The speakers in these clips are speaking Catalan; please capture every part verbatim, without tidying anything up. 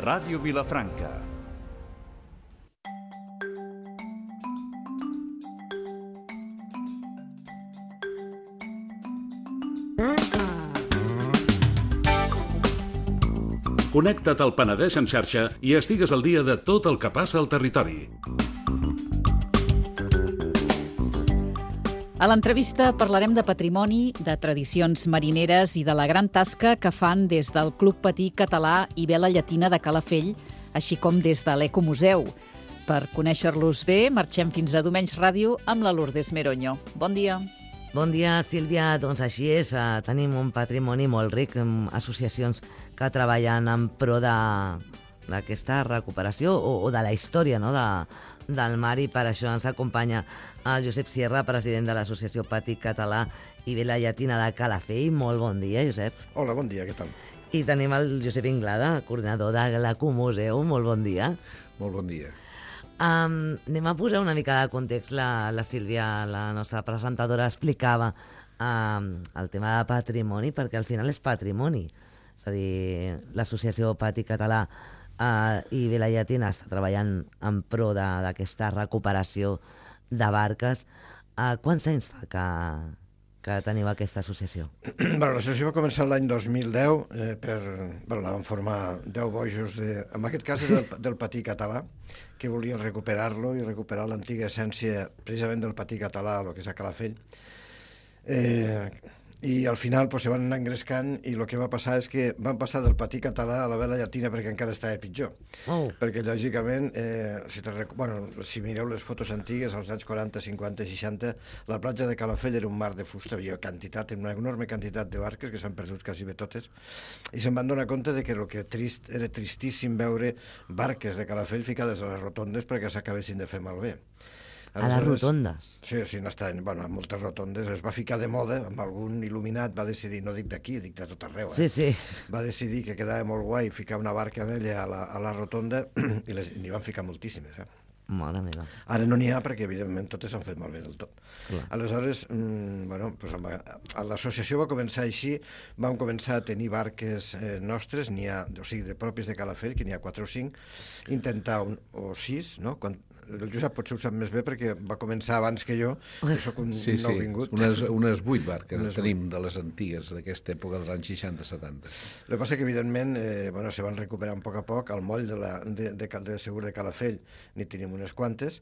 Ràdio Vilafranca. Connecta't al Penedès en xarxa i estigues al dia de tot el que passa al territori. A l'entrevista parlarem de patrimoni, de tradicions marineres i de la gran tasca que fan des del Club Patí Català i Vela Llatina de Calafell, així com des de l'Ecomuseu. Per conèixer-los bé, marxem fins a Domenys Ràdio amb la Lourdes Meroño. Bon dia. Bon dia, Sílvia. Doncs així és, eh, tenim un patrimoni molt ric, amb associacions que treballen en pro d'aquesta recuperació o, o de la història, no?, de, del mar, i per això ens acompanya el Josep Sierra, president de l'Associació Patí Català i Vela Llatina de Calafell. Molt bon dia, Josep. Hola, bon dia, què tal? I tenim el Josep Inglada, coordinador de l'Ecomuseu. Molt bon dia. Molt bon dia. Um, anem a posar una mica de context. La, la Sílvia, la nostra presentadora, explicava um, el tema de patrimoni, perquè al final és patrimoni. És a dir, l'Associació Patí Català uh, i Vela Llatina està treballant en pro d'aquesta recuperació de barques. Uh, quants anys fa que, que teniu aquesta associació? Bueno, l'associació va començar l'any dos mil deu, eh, per, bueno, la van formar deu bojos, de, en aquest cas és del, del patí català, que volien recuperar-lo i recuperar l'antiga essència precisament del patí català, el que és a Calafell. Eh, I al final pues, se van anar engrescant, i el que va passar és que van passar del patí català a la vela llatina, perquè encara estava pitjor. Oh. Perquè, lògicament, eh, si, te rec... bueno, si mireu les fotos antigues, als anys quaranta, cinquanta i seixanta, la platja de Calafell era un mar de fusta, havia quantitat, una enorme quantitat de barques que s'han perdut quasi bé totes, i se'n van donar compte de que el que trist, era tristíssim veure barques de Calafell ficades a les rotondes perquè s'acabessin de fer malbé. A les rotondes? Sí, sí, n'estan, bueno, a moltes rotondes. Es va ficar de moda, amb algun il·luminat va decidir, no dic d'aquí, dic de tot arreu, eh? Sí, sí. Va decidir que quedava molt guai ficar una barca vella a la, a la rotonda, i les, n'hi van ficar moltíssimes, eh? Mare meva. Ara no n'hi ha perquè, evidentment, totes s'han fet malbé del tot. Clar. Aleshores, mmm, bueno, pues, l'associació va començar així, vam començar a tenir barques eh, nostres, n'hi ha, o sigui, de pròpies de Calafell, que n'hi ha quatre o cinc, intentar un, o sis, no?, quan el Josep potser ho sap més bé perquè va començar abans que jo, que soc un sí, nou sí. vingut. Unes, unes vuit barques unes tenim vuit de les antigues d'aquesta època, dels anys seixanta setanta. El que passa que, evidentment, eh, bueno, se van recuperant a poc a poc. Al moll de, la, de, de, de Segur de Calafell n'hi tenim unes quantes,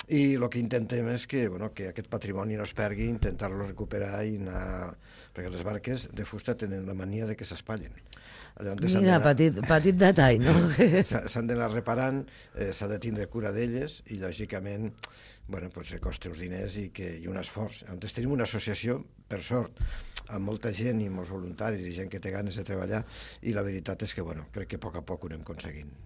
i el que intentem és que, bueno, que aquest patrimoni no es pergui, intentar-lo recuperar i anar... perquè les barques de fusta tenen la mania de que s'espatllen. Mira, petit, petit detall, no? S'han d'anar reparant, eh, s'ha de tindre cura d'elles, i lògicament, bueno, pues, costa uns diners i, que, i un esforç. Llavors tenim una associació, per sort, amb molta gent i molts voluntaris i gent que té ganes de treballar, i la veritat és que, bueno, crec que a poc a poc ho anem aconseguint.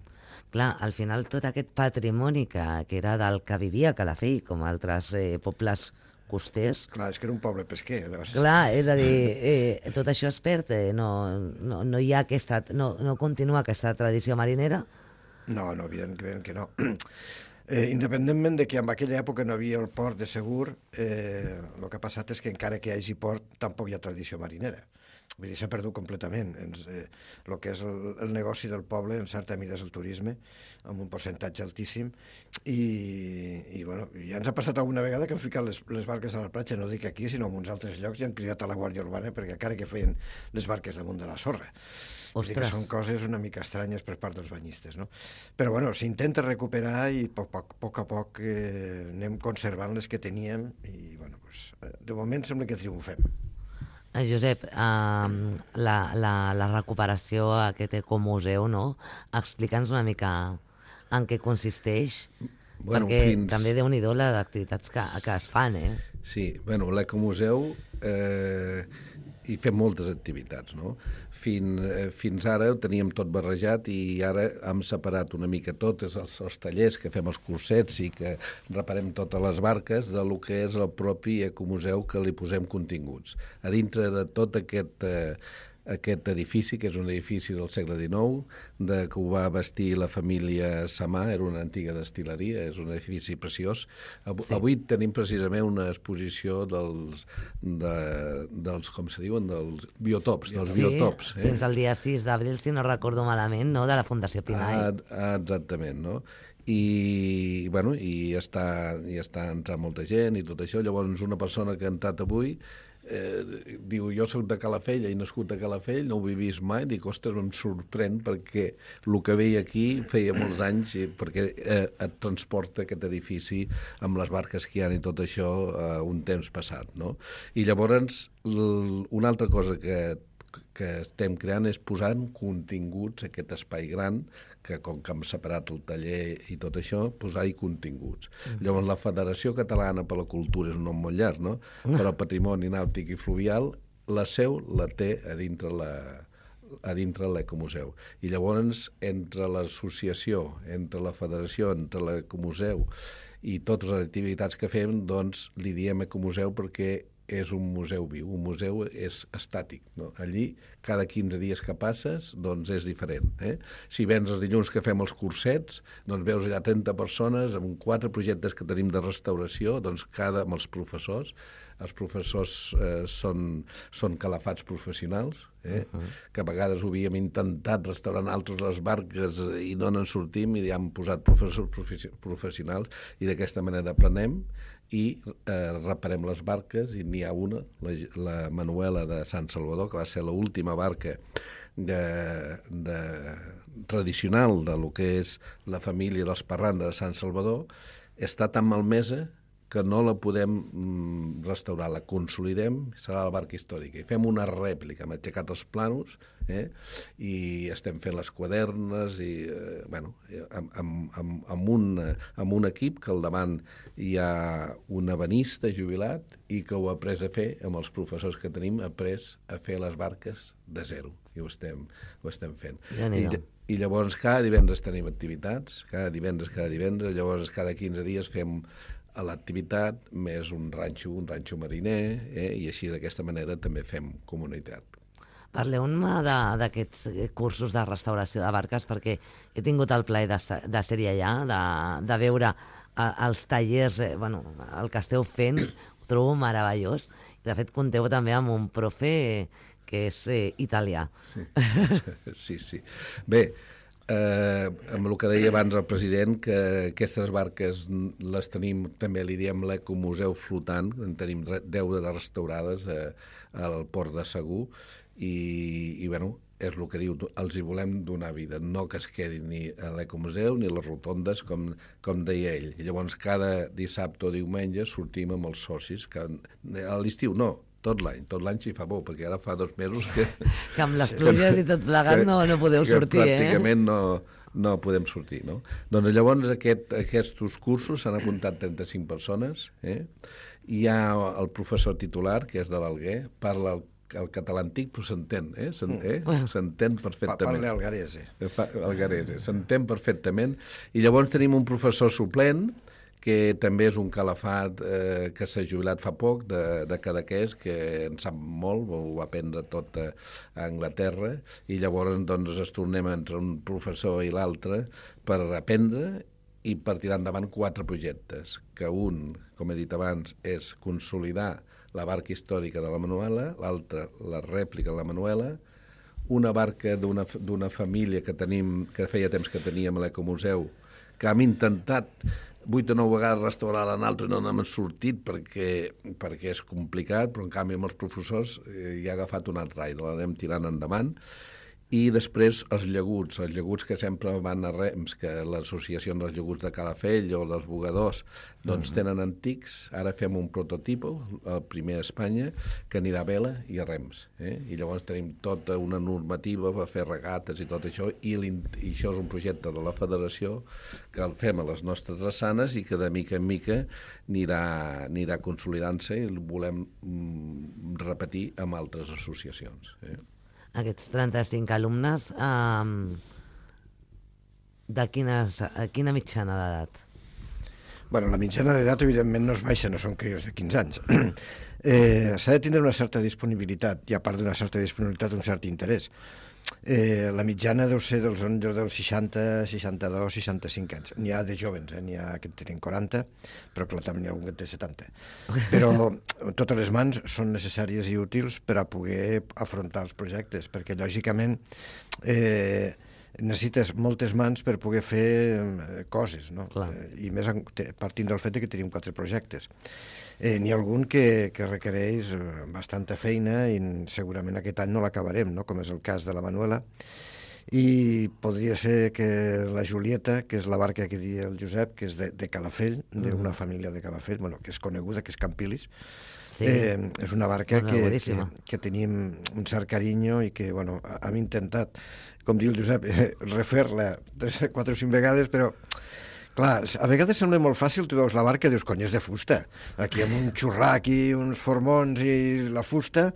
Clar, al final tot aquest patrimoni que, que era del que vivia Calafell, com altres eh, pobles costers... Clar, és que era un poble pesquer. Clar, és a dir, eh, tot això es perd, eh, no, no, no hi ha aquesta... No, no continua aquesta tradició marinera? No, no, evidentment que no. Eh, independentment de que en aquella època no havia el port de Segur, eh, el que ha passat és que encara que hi hagi port, tampoc hi ha tradició marinera. Vull dir, s'ha perdut completament. Ens, eh, el que és el, el negoci del poble, en certa mida, és el turisme, amb un percentatge altíssim, i, i bueno, ja ens ha passat alguna vegada que han ficat les, les barques a la platja, no dic aquí, sinó en uns altres llocs, i han cridat a la Guàrdia Urbana perquè encara que feien les barques damunt de la sorra. Vull dir que són coses una mica estranyes per part dels banyistes, no? Però, bueno, s'intenta recuperar i a poc, poc, poc a poc eh, anem conservant les que teníem, i, bueno, pues, de moment sembla que triomfem. Josep, eh, la, la, la recuperació, aquest ecomuseu, no? Explica'ns una mica en què consisteix, bueno, perquè fins... també déu-n'hi-do les activitats que, que es fan, eh? Sí, bueno, l'ecomuseu eh, hi fem moltes activitats, no? Fins, eh, fins ara ho teníem tot barrejat, i ara hem separat una mica tot, els, els tallers que fem els cursets i que reparem totes les barques, de lo que és el propi ecomuseu, que li posem continguts. A dintre de tot aquest, eh, aquest edifici, que és un edifici del segle dinou, de, que ho va bastir la família Samà, era una antiga destil·leria, és un edifici preciós. Avui, sí. avui tenim precisament una exposició dels, de, dels com se diuen, dels biotops, dels sí, biotops. Eh? Fins al dia sis d'abril, si no recordo malament, no? De la Fundació Pinai. Ah, exactament, no? I, bueno, i està, i està entrant molta gent i tot això. Llavors, una persona que ha entrat avui eh, diu, jo soc de Calafell, he nascut a Calafell, no ho he vist mai, dic, ostres, em sorprèn perquè el que veia aquí feia molts anys, i, perquè eh, et transporta aquest edifici amb les barques que hi ha i tot això a eh, un temps passat, no? I llavors, una altra cosa que que estem creant és posar en continguts aquest espai gran, que com que hem separat el taller i tot això, posar-hi continguts. Mm-hmm. Llavors, la Federació Catalana per la Cultura és un nom molt llarg, no? Però el Patrimoni Nàutic i Fluvial, la seu la té a dintre la a dintre l'Ecomuseu. I llavors, entre l'associació, entre la federació, entre l'Ecomuseu i totes les activitats que fem, doncs li diem Ecomuseu perquè és un museu viu, un museu és estàtic, no? Allí, cada quinze dies que passes, doncs és diferent. Eh? Si vens els dilluns que fem els cursets, doncs veus allà trenta persones amb quatre projectes que tenim de restauració, doncs cada amb els professors. Els professors eh, són, són calafats professionals, eh? Uh-huh. Que a vegades ho havíem intentat restaurar altres les barques i no n'en sortim i ja hem posat professors professionals i d'aquesta manera aprenem i eh, reparem les barques i n'hi ha una, la, la Manuela de Sant Salvador, que va ser l'última barca de, de, tradicional de lo que és la família dels Parranda de Sant Salvador, està tan malmesa que no la podem mm, restaurar, la consolidem, serà la barca històrica. I fem una rèplica, hem aixecat els planos, eh? I estem fent les quadernes, i, eh, bueno, amb, amb, amb, amb, un, amb un equip que al davant hi ha un ebenista jubilat i que ho ha après a fer, amb els professors que tenim, ha après a fer les barques de zero, i ho estem, ho estem fent. Ja I, I llavors cada divendres tenim activitats, cada divendres, cada divendres, llavors cada quinze dies fem a l'activitat, més un ranxo, un ranxo mariner, eh? I així d'aquesta manera també fem comunitat. Parleu-me d'aquests cursos de restauració de barques, perquè he tingut el plaer de, de ser-hi allà, de, de veure a, els tallers, eh, bueno, el que esteu fent, ho trobo meravellós. I de fet compteu també amb un profe que és eh, italià. Sí, sí, sí. Bé, Eh, amb el que deia abans el president, que aquestes barques les tenim, també li diem l'Ecomuseu flotant, en tenim deu de restaurades eh, al port de Segur, i, i bueno, és el que diu, els hi volem donar vida, no que es quedin ni a l'Ecomuseu ni a les rotondes, com, com deia ell. I llavors cada dissabte o diumenge sortim amb els socis, que a l'estiu no, tot l'any, tot l'any s'hi fa bo, perquè ara fa dos mesos que... que amb les pluges i tot plegat no, no podeu sortir, eh? Pràcticament no, no podem sortir, no? Doncs llavors aquest, aquests cursos s'han apuntat trenta-cinc persones, eh? Hi ha el professor titular, que és de l'Alguer, parla el, el català antic, però s'entén, eh? S'entén eh? perfectament. Parla algarese. Algarese, s'entén perfectament. I llavors tenim un professor suplent, que també és un calafat eh, que s'ha jubilat fa poc, de, de Cadaqués, que en sap molt, ho va aprendre tot a, a Anglaterra, i llavors doncs, es tornem entre un professor i l'altre per aprendre i per tirar endavant quatre projectes, que un, com he dit abans, és consolidar la barca històrica de la Manuela, l'altre, la rèplica de la Manuela, una barca d'una família que tenim, que feia temps que teníem a l'Ecomuseu, que hem intentat vuit o nou vegades restaurar l'altre i no n'hem sortit perquè, perquè és complicat, però en canvi amb els professors eh, hi ha agafat un altre aire, l'anem tirant endavant. I després els llaguts, els llaguts que sempre van a rems, que l'associació dels llaguts de Calafell o dels bugadors, doncs uh-huh. tenen antics. Ara fem un prototipo, el primer a Espanya, que anirà a vela i a rems. Eh? I llavors tenim tota una normativa per fer regates i tot això, i, i això és un projecte de la federació que el fem a les nostres drassanes i que de mica en mica anirà, anirà consolidant-se i el volem mm, repetir amb altres associacions. Eh? Aquests trenta-cinc alumnes, eh, de quines, quina mitjana d'edat? Bueno, la mitjana d'edat, evidentment, no es baixa, no són crios de quinze anys. eh, s'ha de tindre una certa disponibilitat, i a part d'una certa disponibilitat, un cert interès. Eh, la mitjana deu ser dels, dels seixanta, seixanta-dos, seixanta-cinc anys. N'hi ha de jovens, eh? N'hi ha que en tenen quaranta, però clar, també n'hi ha algun que en té setanta. Però totes les mans són necessàries i útils per a poder afrontar els projectes, perquè lògicament eh, necessites moltes mans per poder fer coses, no? Eh, I més partint del fet que tenim quatre projectes. Eh, N'hi ha algun que, que requereix bastanta feina i segurament aquest any no l'acabarem, no? Com és el cas de la Manuela. I podria ser que la Julieta, que és la barca que diu el Josep, que és de, de Calafell, d'una mm. família de Calafell, bueno, que és coneguda, que és Campilis, sí. eh, és una barca que, que, que tenim un cert carinyo i que, bueno, hem intentat, com diu el Josep, eh, refer-la tres, quatre o cinc vegades, però clar, a vegades sembla molt fàcil, tu veus la barca i dius, cony, és de fusta. Aquí amb un xurrac i uns formons i la fusta,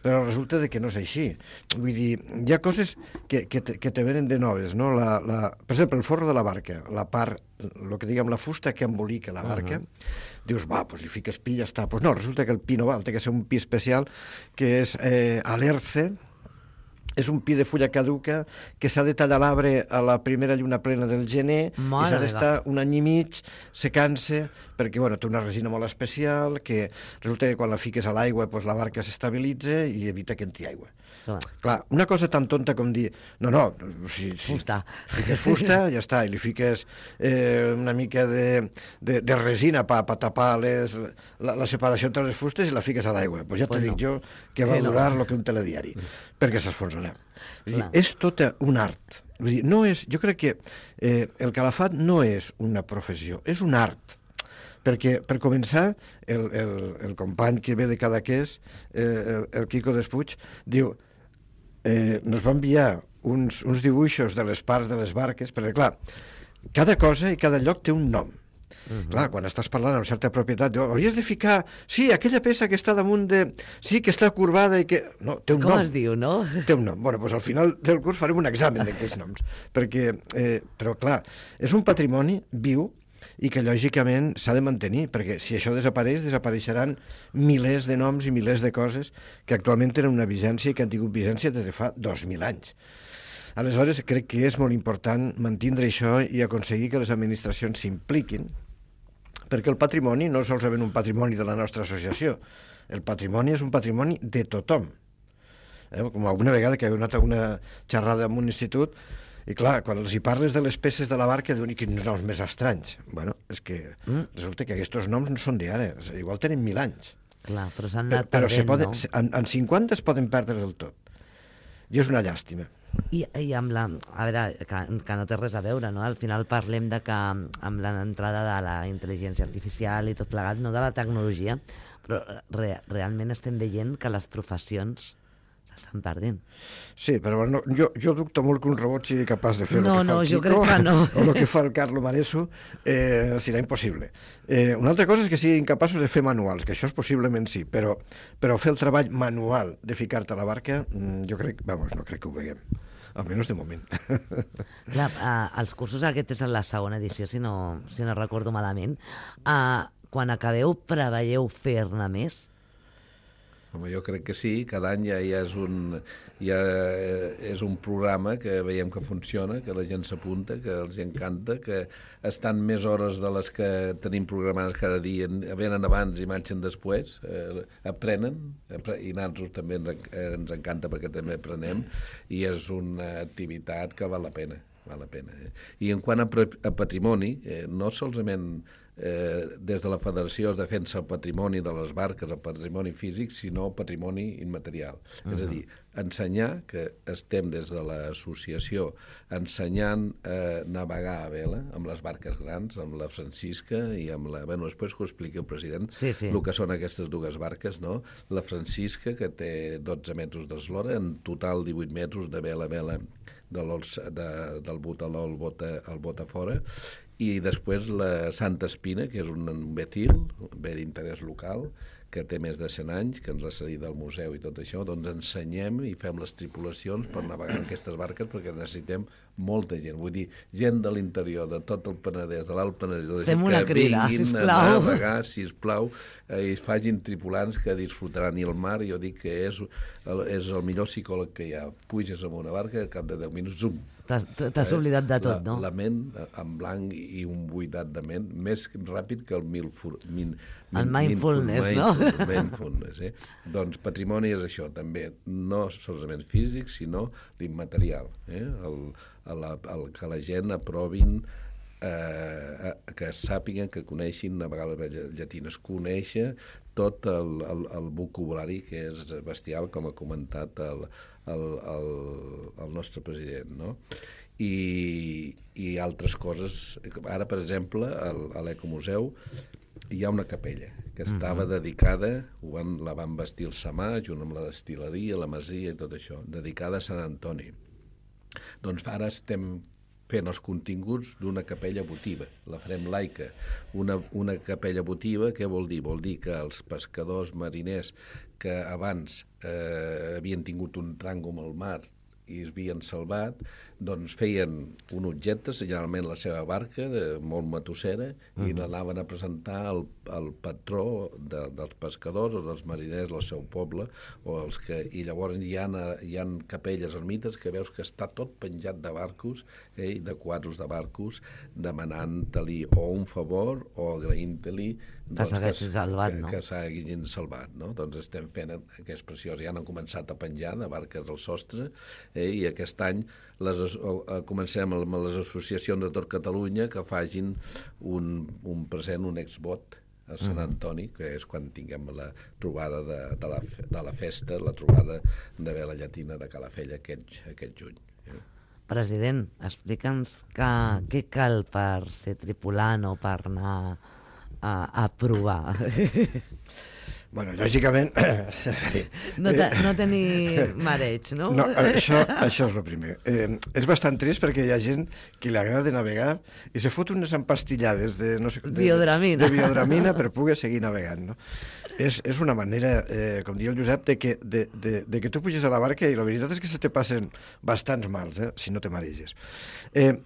però resulta de que no és així. Vull dir, hi ha coses que, que, te, que te venen de noves, no? La, la, per exemple, el forro de la barca, la part, el que diguem, la fusta que embolica la barca, uh-huh. dius, va, doncs li fiques pi i ja està. Doncs no, resulta que el pi no val, té que ser un pi especial, que és eh, alerce, és un pi de fulla caduca que s'ha de tallar l'arbre a la primera lluna plena del gener Mare i s'ha d'estar un any i mig secant-se perquè bueno, té una resina molt especial que resulta que quan la fiques a l'aigua doncs la barca s'estabilitza i evita que entri aigua. Clar. Clar, una cosa tan tonta com dir no, no, si, si fusta. fiques fusta, ja està, i li fiques eh, una mica de, de, de resina per pa tapar les, la, la separació entre les fustes i la fiques a l'aigua. Pues ja pues t'ho no. dic jo que va durar el no. que un telediari, perquè s'esfonsarà. És tot un art. Vull dir, no és, jo crec que eh, el calafat no és una professió, és un art. Perquè, per començar, el, el, el company que ve de Cadaqués, eh, el, el Quico Despuig, diu, eh, nos va enviar uns, uns dibuixos de les parts de les barques, perquè, clar, cada cosa i cada lloc té un nom. Uh-huh. Clar, quan estàs parlant amb certa propietat, diu, hauries de ficar, sí, aquella peça que està damunt de... Sí, que està corbada i que... No, té un Com nom. es diu, no? Té un nom. Bueno, doncs al final del curs farem un examen d'aquests noms. Perquè, eh, però clar, és un patrimoni viu i que lògicament s'ha de mantenir, perquè si això desapareix, desapareixeran milers de noms i milers de coses que actualment tenen una vigència i que han tingut vigència des de fa dos mil anys. Aleshores, crec que és molt important mantindre això i aconseguir que les administracions s'impliquin, perquè el patrimoni no és solament un patrimoni de la nostra associació, el patrimoni és un patrimoni de tothom. Eh? Com alguna vegada que he anat a una xerrada en un institut, i clar, quan els hi parles de les peces de la barca, diuen, i quins noms més estranys. Bueno, és que mm. resulta que aquests noms no són d'ara, igual tenen mil anys. Clar, però s'han anat però, perdent, poden, no? En, en cinquanta es poden perdre del tot. I és una llàstima. I, i amb la... A veure, que, que no té res a veure, no? Al final parlem de que amb l'entrada de la intel·ligència artificial i tot plegat, no de la tecnologia, però re, realment estem veient que les professions s'estan perdent. Sí, però bueno, jo, jo dubto molt que un robot sigui capaç de fer no, el que no, fa el jo Quico crec que no. o el que fa el Carlo Mareso, eh, serà impossible. Eh, una altra cosa és que siguin capaços de fer manuals, que això és possiblement sí, però, però fer el treball manual de ficar-te a la barca, jo crec, vamos, no crec que ho veiem. Almenys de moment. Clar, eh, els cursos, aquest és la segona edició, si no, si no recordo malament. Eh, quan acabeu, preveieu fer-ne més? Home, jo crec que sí, cada any ja, ja, és un, ja és un programa que veiem que funciona, que la gent s'apunta, que els encanta, que estan més hores de les que tenim programades cada dia, venen abans i marxen després, eh, aprenen, i nosaltres també ens, ens encanta perquè també aprenem, i és una activitat que val la pena. Val la pena eh? I en quant a, a patrimoni, eh, no solament Eh, des de la Federació es defensa el patrimoni de les barques, el patrimoni físic, sinó el patrimoni immaterial. Uh-huh. És a dir, ensenyar que estem des de l'associació ensenyant a eh, navegar a vela amb les barques grans, amb la Francisca i amb la... Bueno, després que ho expliqui el president, sí, sí. el que són aquestes dues barques, no? La Francisca, que té dotze metres d'eslora, en total divuit metres de vela a vela de de, del botaló al bota, al bota fora, i després la Santa Espina, que és un betil, un bé d'interès local, que té més de cent anys, que ens ha cedit del museu i tot això, doncs ensenyem i fem les tripulacions per navegar en aquestes barques, perquè necessitem molta gent, vull dir, gent de l'interior, de tot el Penedès, de l'Alt Penedès, fem una crida, sisplau, a navegar, sisplau, eh, i facin tripulants que disfrutaran. I el mar, jo dic que és el, és el millor psicòleg que hi ha. Puges amb una barca, al cap de deu minuts, zum. T'has oblidat de tot, no? La, la ment en blanc i un buidat de ment més ràpid que el milfur, min, min, el mindfulness, mindful, no? Mindfulness, eh? Doncs patrimoni és això, també, no solament físic, sinó l'immaterial. Eh? El, el, el, que la gent aprovin, eh, que sàpiguen, que coneixin navegar les llatines, conèixer tot el, el, el vocabulari que és bestial, com ha comentat el, el, el, el nostre president, no? I, i altres coses. Ara, per exemple, al, a l'Ecomuseu hi ha una capella que estava uh-huh. dedicada, ho van, la van vestir el Samà, junt amb la destil·leria, la masia i tot això, dedicada a Sant Antoni. Doncs ara estem fent els continguts d'una capella votiva, la farem laica. Una, una capella votiva, què vol dir? Vol dir que els pescadors mariners que abans eh, havien tingut un tràngol al mar i es havien salvat, doncs feien un objecte, generalment la seva barca, de, molt matossera, uh-huh. i l'anaven a presentar al, al patró de, dels pescadors o dels mariners del seu poble, o els que, i llavors hi ha, hi ha capelles ermites que veus que està tot penjat de barcos, eh, de quadros de barcos, demanant-li o un favor o agraint-li que s'haguessin salvat, que, no? Que s'hagin salvat, no? Doncs estem fent aquest preciós. Ja han començat a penjar de barques al sostre, eh, i aquest any les, eh, comencem amb les associacions de tot Catalunya que facin un, un present, un exbot a Sant Antoni, que és quan tinguem la trobada de, de, la, de la festa, la trobada de Vela Llatina de Calafell aquest, aquest juny. Eh? President, explica'ns que, què cal per ser tripulant o per anar a, a provar. Bueno, lògicament... No, te, no tenir mareig, no? No, això, això és el primer. Eh, és bastant trist perquè hi ha gent que li agrada navegar i se fot unes empastillades de, no sé, de, biodramina. de biodramina per poder seguir navegant, no? És, és una manera, eh, com diu el Josep, de que, de, de, de que tu puges a la barca i la veritat és que se te passen bastants mals, eh, si no te mareges. Eh,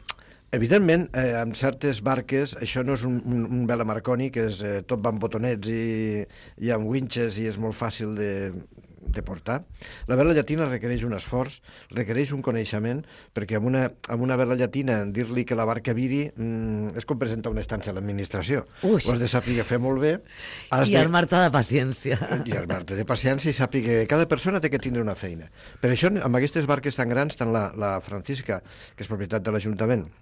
Evidentment, eh, amb certes barques, això no és un, un, un vela Marconi, que és, eh, tot va amb botonets i, i amb winches i és molt fàcil de, de portar. La vela llatina requereix un esforç, requereix un coneixement, perquè amb una, amb una vela llatina dir-li que la barca viri mm, és com presentar una estança a l'administració. Ho has de saber fer molt bé. I de... armar-te de paciència. I armar-te de paciència i saber que cada persona té que tindre una feina. Per això, amb aquestes barques tan grans, tant la, la Francisca, que és propietat de l'Ajuntament,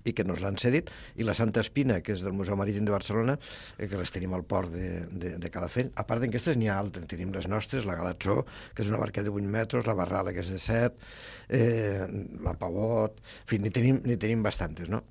i que nos l'han cedit, i la Santa Espina, que és del Museu Marítim de Barcelona, eh, que les tenim al port de, de, de Calafell. A part d'aquestes n'hi ha altres, tenim les nostres, la Galatzó, que és una barca de vuit metres, la Barrala, que és de set, eh, la Pavot, en fi, n'hi tenim, n'hi tenim bastantes, no?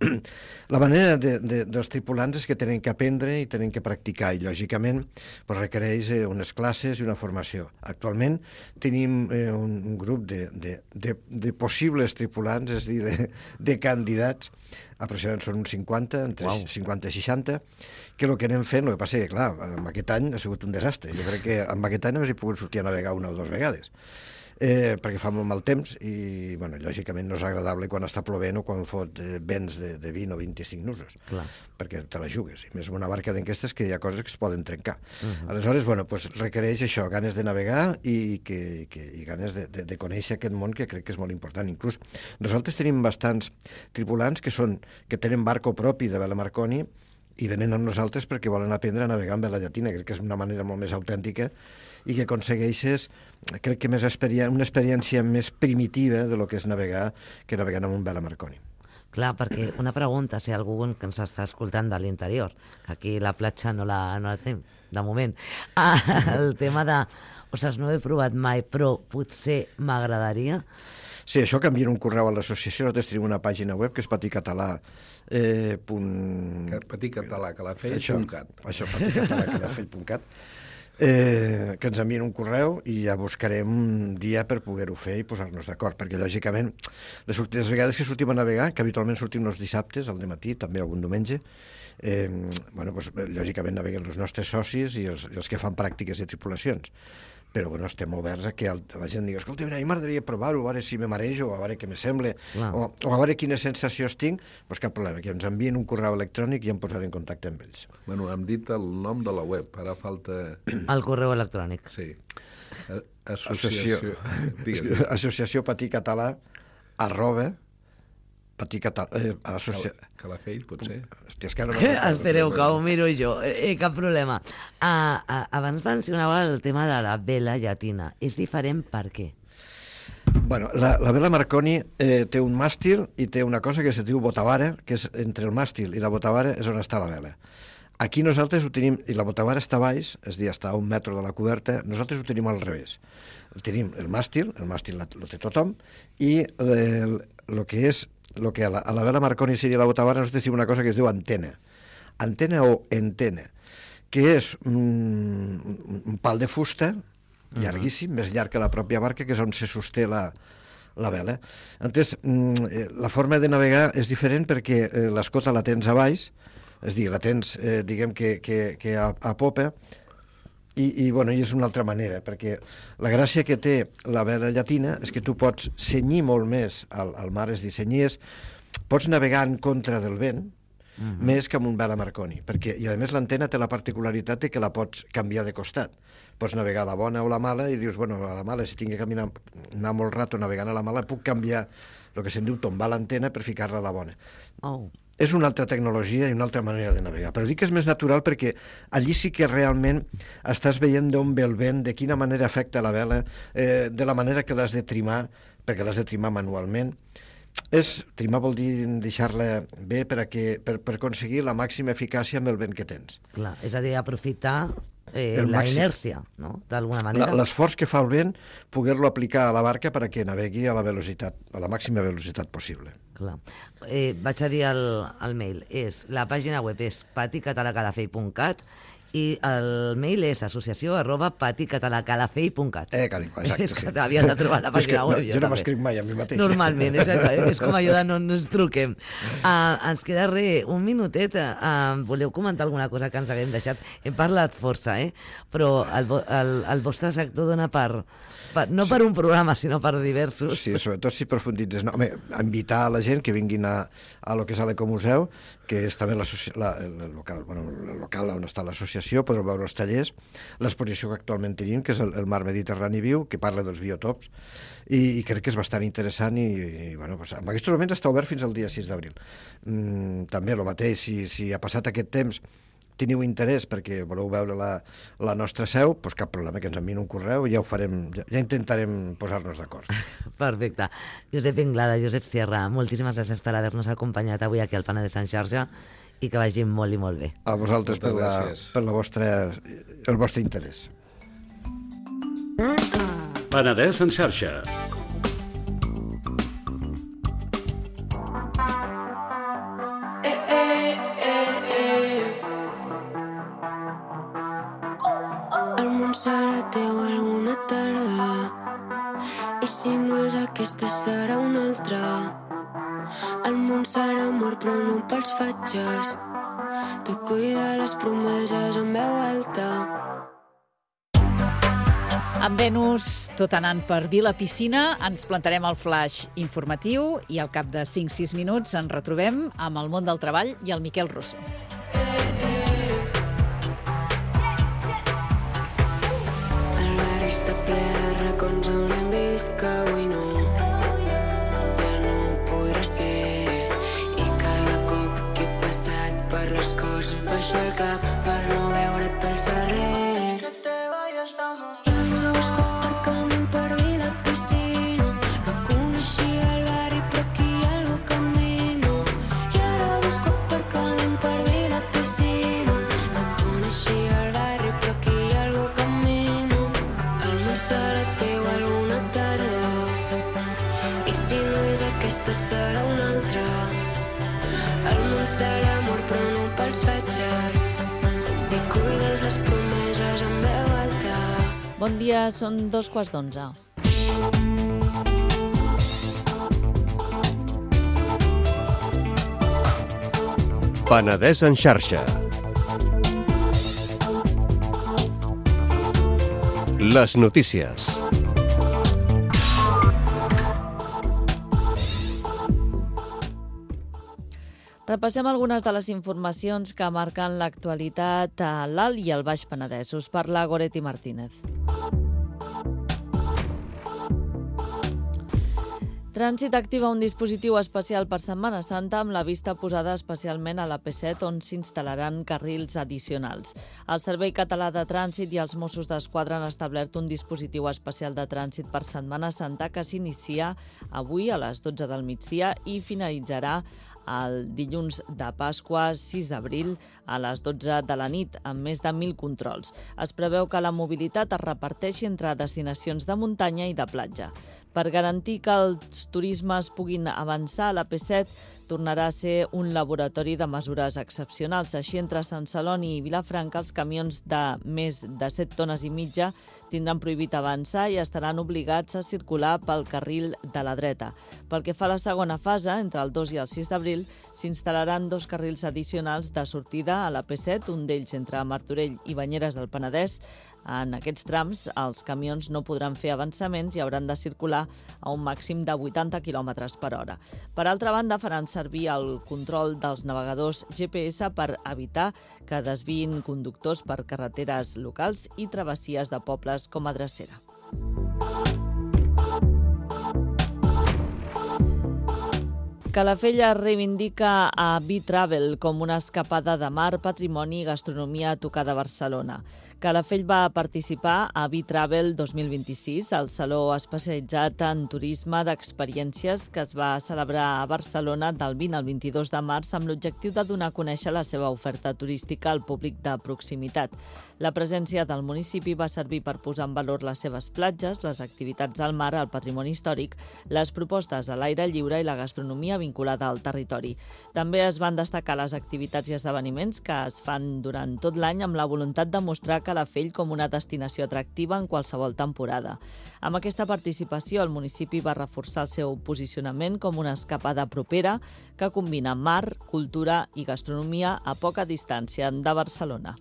La manera de, de, dels tripulants és que tenen que aprendre i tenen que practicar, i lògicament pues, requereix eh, unes classes i una formació. Actualment tenim eh, un, un grup de, de, de, de possibles tripulants, és a dir, de, de candidats, aproximadament són uns cinquanta, entre wow. cinquanta i seixanta, que el que anem fent, el que passa és que, clar, amb aquest any ha sigut un desastre. Jo crec que amb aquest any només he pogut sortir a navegar una o dues vegades, eh, perquè fa molt mal temps i, bueno, lògicament no és agradable quan està plovent o quan fot eh, vents de, de vint o vint-i-cinc nusos, clar. Perquè te la jugues. I més amb una barca d'aquestes que hi ha coses que es poden trencar. Uh-huh. Aleshores, bueno, pues requereix això, ganes de navegar i, que, que, i ganes de, de, de conèixer aquest món, que crec que és molt important. Inclús nosaltres tenim bastants tripulants que són que tenen barco propi de vela Marconi i venen amb nosaltres perquè volen aprendre a navegar amb vela llatina. Crec que és una manera molt més autèntica i que aconsegueixes, crec que més experiència, una experiència més primitiva de lo que és navegar que navegant amb un vela Marconi. Clar, perquè una pregunta, si algú que ens està escoltant de l'interior, que aquí la platja no la, no la tenim, de moment, ah, el tema de, ostres, no he provat mai, però potser m'agradaria. Sí, això canvien un correu a l'associació, nosaltres tenim una pàgina web que és paticatalà. Eh, punt... Paticatalà, calafell punt cat. Això, paticatalà, calafell punt cat. eh, que ens envien un correu i ja buscarem un dia per poder-ho fer i posar-nos d'acord, perquè lògicament les, les vegades que sortim a navegar, que habitualment sortim els dissabtes al dematí, també algun diumenge, eh, bueno, doncs, lògicament naveguen els nostres socis i els, els que fan pràctiques de tripulacions. Però bueno, estem oberts a que la gent digui escolta, a mi m'agradaria provar-ho, a veure si me marejo, a veure què me sembla, o, o a veure quines sensacions tinc, doncs cap problema, que ens envien un correu electrònic i em posaré en contacte amb ells. Bueno, hem dit el nom de la web, ara falta... El correu electrònic. Sí. Associació... Associació, Associació Patí Català, arroba, Patí Català... Eh, associa... Calafell, potser? Hòstia, és que ara no... Espereu, que ho miro jo. Eh, cap problema. Ah, ah, abans mencionava el tema de la vela llatina. És diferent per què? Bueno, la, la vela Marconi eh, té un màstil i té una cosa que se diu botavara, que és entre el màstil i la botavara és on està la vela. Aquí nosaltres ho tenim, i la botavara està baix, és a dir, està a un metre de la coberta, nosaltres ho tenim al revés. Tenim el màstil, el màstil el té tothom, i el, el que és, el que a la, a la vela Marconi seria la botavara, nosaltres tenim una cosa que es diu antena. Antena o entena, que és un, un pal de fusta, llarguíssim, uh-huh. més llarg que la pròpia barca, que és on se sosté la, la vela. Entonces, la forma de navegar és diferent perquè l'escota la tens a baix, és a dir, la tens, eh, diguem, que, que, que a, a popa, i, i, bueno, i és una altra manera, perquè la gràcia que té la vela llatina és que tu pots senyir molt més al, al mar, és a dir, senyir, pots navegar en contra del vent, uh-huh. més que amb un vela Marconi, perquè, i a més l'antena té la particularitat de que la pots canviar de costat. Pots navegar a la bona o la mala i dius, bueno, a la mala, si tinc que caminar, anar molt rato navegant a la mala, puc canviar el que se'n diu tombar l'antena per ficar-la a la bona. Oh. És una altra tecnologia i una altra manera de navegar, però dic que és més natural perquè allí sí que realment estàs veient d'on ve el vent, de quina manera afecta la vela, eh, de la manera que l'has de trimar, perquè l'has de trimar manualment. És, trimar vol dir deixar-la bé per, a que, per, per aconseguir la màxima eficàcia amb el vent que tens. Clar, és a dir, aprofitar eh, la màxim. inèrcia, no?, d'alguna manera. L'esforç que fa el vent, poder-lo aplicar a la barca perquè navegui a la velocitat, a la màxima velocitat possible. Clar. Eh, vaig a dir el, el mail. És, la pàgina web és paticatalacalafell punt cat i el mail és associació arroba paticatalacalafell punt cat. Eh, carinyo, exacte. És que t'havia de trobar la pàgina web. No, jo no m'escric mai a mi mateix. Normalment, és, és com allò de no ens truquem. Uh, ens queda res, un minutet. Uh, voleu comentar alguna cosa que ens haguem deixat? Hem parlat força, eh? Però el, el, el vostre sector dona per... per no per un programa, sinó per diversos. Sí, sobretot si profunditzes. No, home, invitar a la gent que vinguin a, a lo que és l'Ecomuseu, que és també la, el, local, bueno, el local on està l'associació, podeu veure els tallers, l'exposició que actualment tenim, que és el, el Mar Mediterrani Viu, que parla dels biotops, i, i crec que és bastant interessant i, i bueno, pues, en aquests moments està obert fins al dia sis d'abril. Mm, també el mateix, si, si ha passat aquest temps teniu interès perquè voleu veure la, la nostra seu, doncs cap problema, que ens enviïn un correu i ja ho farem, ja, ja intentarem posar-nos d'acord. Perfecte. Josep Inglada, Josep Sierra, moltíssimes gràcies per haver-nos acompanyat avui aquí al Penedès en xarxa i que vagi molt i molt bé. A vosaltres per, la, per la vostra, el vostre interès. Penedès en xarxa. Serà teu alguna tarda i si no és aquesta serà una altra. El món serà amor però no pels fatxes. Tu cuida les promeses en veu alta. Amb Venus, tot anant per Vila Piscina, ens plantarem al flash informatiu i al cap de cinc sis minuts ens retrobem amb el món del treball i el Miquel Rosso. Està ple de racons on hem vist que avui no, ja no podrà ser. I cada cop que he passat per les coses baixo el cap per no veure't al carrer. Jo no busco aparcament per Vila Piscina, no coneixia el barri però aquí hi ha algú camino. I ara busco aparcament per Vila Piscina, no coneixia el barri però aquí hi ha algú camino. Serà teu alguna tarda i si no és aquesta serà una altra. El món serà amor però no pels fatxes. Si cuides les promeses en veu alta. Bon dia, són dos quarts d'onze. Penedès en xarxa. Les notícies. Repassem algunes de les informacions que marquen l'actualitat a l'Alt i al Baix Penedès. Us parla Goretti Martínez. Trànsit activa un dispositiu especial per Setmana Santa amb la vista posada especialment a l'A P set, on s'instal·laran carrils addicionals. El Servei Català de Trànsit i els Mossos d'Esquadra han establert un dispositiu especial de trànsit per Setmana Santa que s'inicia avui a les dotze del migdia i finalitzarà el dilluns de Pasqua, sis d'abril, a les dotze de la nit, amb més de mil controls. Es preveu que la mobilitat es reparteixi entre destinacions de muntanya i de platja. Per garantir que els turismes puguin avançar, l'A P set tornarà a ser un laboratori de mesures excepcionals. Així, entre Sant Celoni i Vilafranca, els camions de més de set tones i mitja tindran prohibit avançar i estaran obligats a circular pel carril de la dreta. Pel que fa a la segona fase, entre el dos i el sis d'abril, s'instal·laran dos carrils addicionals de sortida a l'A P set, un d'ells entre Martorell i Banyeres del Penedès. En aquests trams, els camions no podran fer avançaments i hauran de circular a un màxim de vuitanta quilòmetres per hora. Per altra banda, faran servir el control dels navegadors G P S per evitar que desviïn conductors per carreteres locals i travessies de pobles com a drecera. Calafell reivindica a B-Travel com una escapada de mar, patrimoni i gastronomia a tocar de Barcelona. Calafell va participar a B-Travel dos mil vint-i-sis, el saló especialitzat en turisme d'experiències que es va celebrar a Barcelona del vint al vint-i-dos de març amb l'objectiu de donar a conèixer la seva oferta turística al públic de proximitat. La presència del municipi va servir per posar en valor les seves platges, les activitats al mar, el patrimoni històric, les propostes a l'aire lliure i la gastronomia vinculada al territori. També es van destacar les activitats i esdeveniments que es fan durant tot l'any amb la voluntat de mostrar Calafell com una destinació atractiva en qualsevol temporada. Amb aquesta participació, el municipi va reforçar el seu posicionament com una escapada propera que combina mar, cultura i gastronomia a poca distància de Barcelona.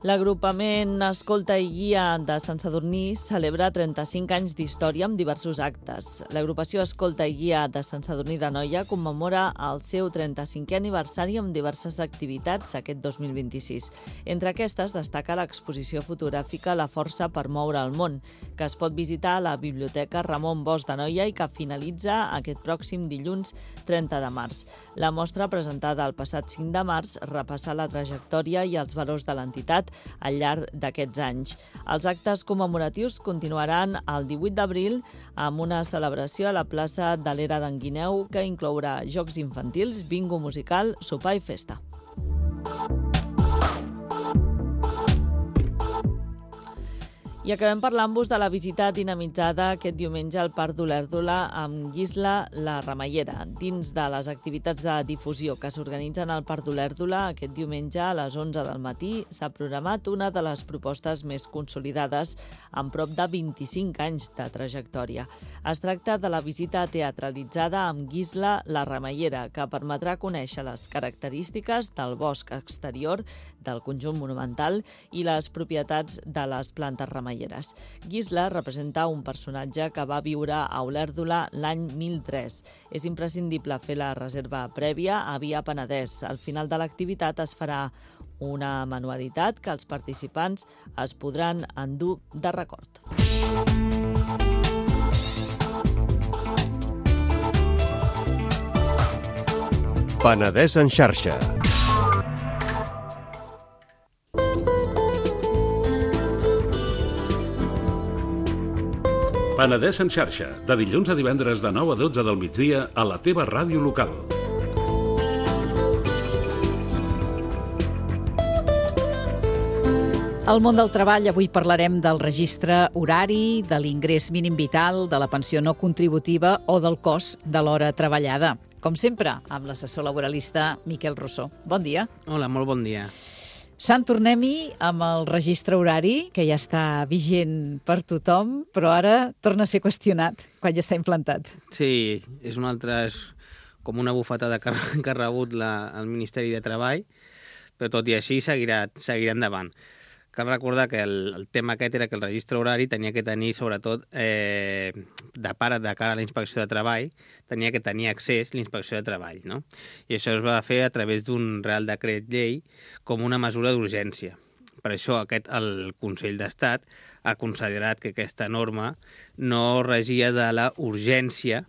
L'agrupament Escolta i Guia de Sant Sadurní celebra trenta-cinc anys d'història amb diversos actes. L'agrupació Escolta i Guia de Sant Sadurní d'Anoia commemora el seu trenta-cinquè aniversari amb diverses activitats aquest dos mil vint-i-sis. Entre aquestes destaca l'exposició fotogràfica La força per moure el món, que es pot visitar a la Biblioteca Ramon Bosch d'Anoia i que finalitza aquest pròxim dilluns trenta de març. La mostra, presentada el passat cinc de març, repassa la trajectòria i els valors de l'entitat al llarg d'aquests anys. Els actes commemoratius continuaran el divuit d'abril amb una celebració a la plaça de l'Era d'en Guineu que inclourà jocs infantils, bingo musical, sopar i festa. I acabem parlant-vos de la visita dinamitzada aquest diumenge al Parc d'Olèrdola amb Guisla la Ramallera. Dins de les activitats de difusió que s'organitzen al Parc d'Olèrdola, aquest diumenge a les onze del matí s'ha programat una de les propostes més consolidades amb prop de vint-i-cinc anys de trajectòria. Es tracta de la visita teatralitzada amb Guisla la Ramallera, que permetrà conèixer les característiques del bosc exterior del conjunt monumental i les propietats de les plantes ramalleres. Guisla representa un personatge que va viure a Olèrdola l'any mil tres. És imprescindible fer la reserva prèvia a Via Penedès. Al final de l'activitat es farà una manualitat que els participants es podran endur de record. Penedès en xarxa. Penedès en xarxa, de dilluns a divendres de nou a dotze del migdia a la teva ràdio local. Al món del treball avui parlarem del registre horari, de l'ingrés mínim vital, de la pensió no contributiva o del cost de l'hora treballada. Com sempre, amb l'assessor laboralista Miquel Rossó. Bon dia. Hola, molt bon dia. Sant, tornem-hi amb el registre horari, que ja està vigent per tothom, però ara torna a ser qüestionat quan ja està implantat. Sí, és una altra... És com una bufetada que, que ha rebut la, el Ministeri de Treball, però tot i així seguirà, seguirà endavant. Cal recordar que el, el tema aquest era que el registre horari tenia que tenir, sobretot, eh, de part de cara a la inspecció de treball, tenia que tenir accés a la inspecció de treball, no? I això es va fer a través d'un Real Decret Llei com una mesura d'urgència. Per això aquest, el Consell d'Estat ha considerat que aquesta norma no regia de la urgència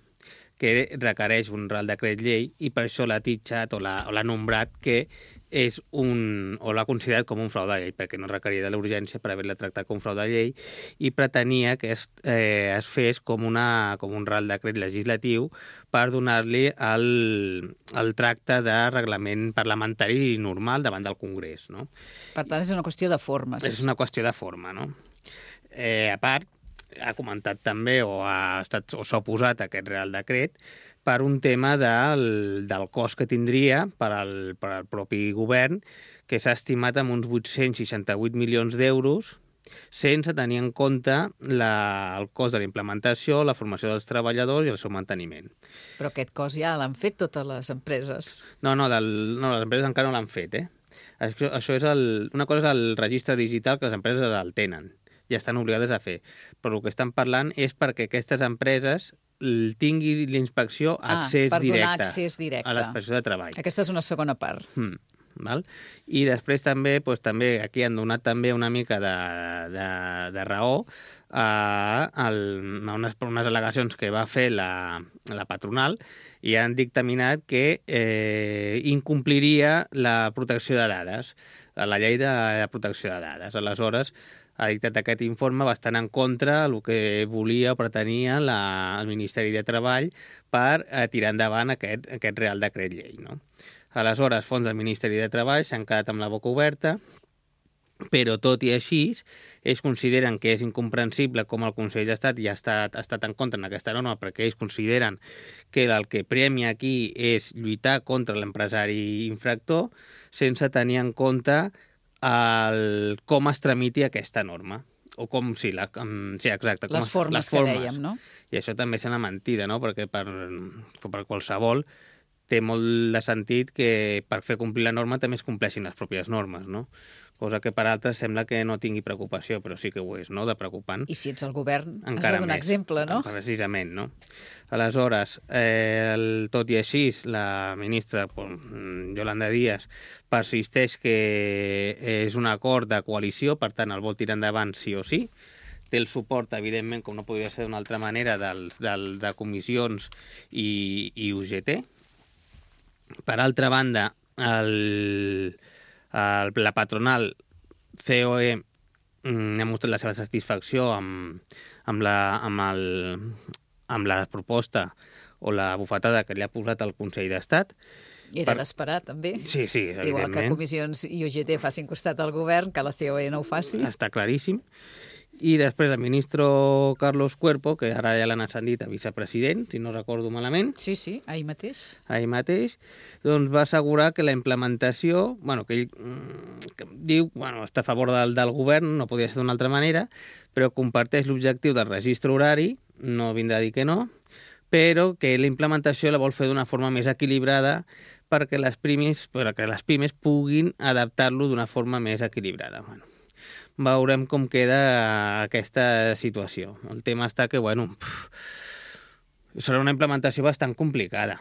que requereix un Real Decret Llei i per això l'ha titxat o l'ha, o l'ha nombrat que és un, o l'ha considerat com un frau de llei, perquè no requeria de la urgència per haver-la tractat com frau de llei i pretenia que es, eh, es fes com, una, com un Real Decret legislatiu per donar-li el, el tracte de reglament parlamentari normal davant del Congrés, no? Per tant, és una qüestió de formes. És una qüestió de forma, no? Eh, a part, ha comentat també o ha estat o s'ha oposat a aquest Real Decret per un tema del, del cost que tindria per al, per al propi govern, que s'ha estimat amb uns vuit-cents seixanta-vuit milions d'euros, sense tenir en compte la, el cost de la implementació, la formació dels treballadors i el seu manteniment. Però aquest cost ja l'han fet totes les empreses. No, no, del, no les empreses encara no l'han fet, eh? Això, això és el, una cosa és el registre digital, que les empreses el tenen, ja estan obligades a fer. Però el que estan parlant és perquè aquestes empreses tingui l'inspecció accés ah, per directe, donar accés directe a l'inspecció de treball. Aquesta és una segona part. Mm, val? I després també, doncs, també aquí han donat també una mica de, de, de raó a, a unes, unes al·legacions que va fer la, la patronal i han dictaminat que eh, incompliria la protecció de dades, la llei de la protecció de dades. Aleshores, ha dictat aquest informe bastant en contra del que volia o pretenia la, el Ministeri de Treball per eh, tirar endavant aquest, aquest Real Decret Llei, no? Aleshores, fons del Ministeri de Treball s'han quedat amb la boca oberta, però tot i així, ells consideren que és incomprensible com el Consell d'Estat ja ha estat, ha estat en contra en aquesta norma, perquè ells consideren que el que premia aquí és lluitar contra l'empresari infractor sense tenir en compte el, com es tramiti aquesta norma. O com, sí, la, sí exacte. Com les es, formes les formes que dèiem, no? I això també és una mentida, no? Perquè per, per qualsevol té molt de sentit que per fer complir la norma també es compleixin les pròpies normes, no? Cosa que per altres sembla que no tingui preocupació, però sí que ho és, no?, de preocupant. I si ets el govern, encara has de donar més, exemple, no? Precisament, no? Aleshores, eh, el, tot i així, la ministra Yolanda Díaz persisteix que és un acord de coalició, per tant, el vol tirar endavant sí o sí. Té el suport, evidentment, com no podria ser d'una altra manera, dels, del, de comissions i, i U G T. Per altra banda, el... El, la patronal C O E ha mostrat la seva satisfacció amb, amb, la, amb, el, amb la proposta o la bufetada que li ha posat el Consell d'Estat. Era per... d'esperar, també. Sí, sí, evidentment. Igual que comissions i U G T facin costat al govern, que la C O E no ho faci. Està claríssim. I després el ministre Carlos Cuerpo, que ara ja l'han ascendit a vicepresident, si no recordo malament. Sí, sí, ahir mateix. Ahir mateix, doncs va assegurar que la implementació, bueno, que ell que diu, bueno, està a favor del, del govern, no podia ser d'una altra manera, però comparteix l'objectiu del registre horari, no vindrà a dir que no, però que la implementació la vol fer d'una forma més equilibrada perquè les pimes, perquè les pimes puguin adaptar-lo d'una forma més equilibrada. Bueno, veurem com queda aquesta situació. El tema està que, bueno, pff, serà una implementació bastant complicada.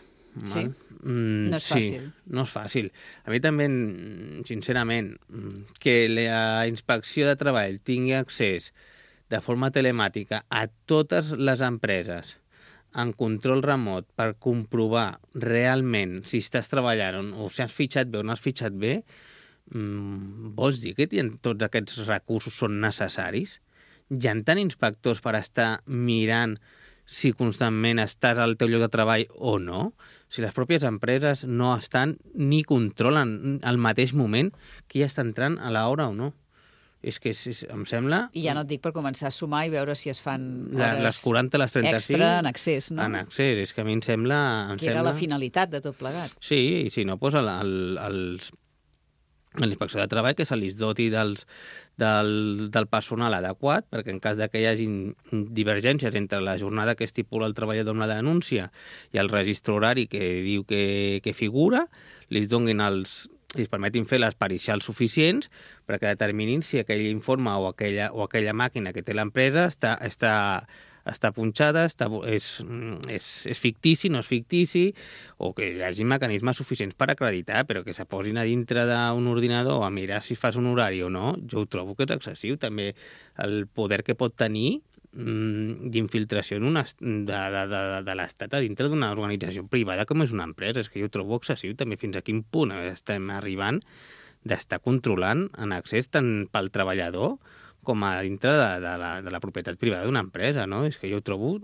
Sí? Mm, no és fàcil. Sí, no és fàcil. A mi també, sincerament, que la inspecció de treball tingui accés de forma telemàtica a totes les empreses en control remot per comprovar realment si estàs treballant o si has fitxat bé o no has fitxat bé, Mm, vols dir que tots aquests recursos són necessaris? Hi ha tant inspectors per estar mirant si constantment estàs al teu lloc de treball o no? Si les pròpies empreses no estan ni controlen al mateix moment qui està entrant a l'hora o no? És que és, és, em sembla... I ja no et dic per començar a sumar i veure si es fan hores la, les quaranta, les trenta-cinc, extra en accés, no? En accés, és que a mi em sembla... Em que era sembla... la finalitat de tot plegat. Sí, i si no, doncs el, el, els... a la inspecció de treball, que se li doti dels, del, del personal adequat, perquè en cas de que hi hagi divergències entre la jornada que estipula el treballador amb la denúncia i el registre horari que diu que, que figura, li donguin els, li permetin fer les pericials suficients perquè determinin si aquell informe o aquella, o aquella màquina que té l'empresa està, està, està punxada, està, és, és, és fictici, no és fictici, o que hi hagi mecanismes suficients per acreditar, però que se posin a dintre d'un ordinador a mirar si fas un horari o no, jo ho trobo que és excessiu. També el poder que pot tenir d'infiltració en una, de, de, de, de l'Estat a dintre d'una organització privada com és una empresa. És que jo ho trobo excessiu també fins a quin punt estem arribant d'estar controlant en accés tant pel treballador com a dintre de, de, la, de la propietat privada d'una empresa, no? És que jo ho trobo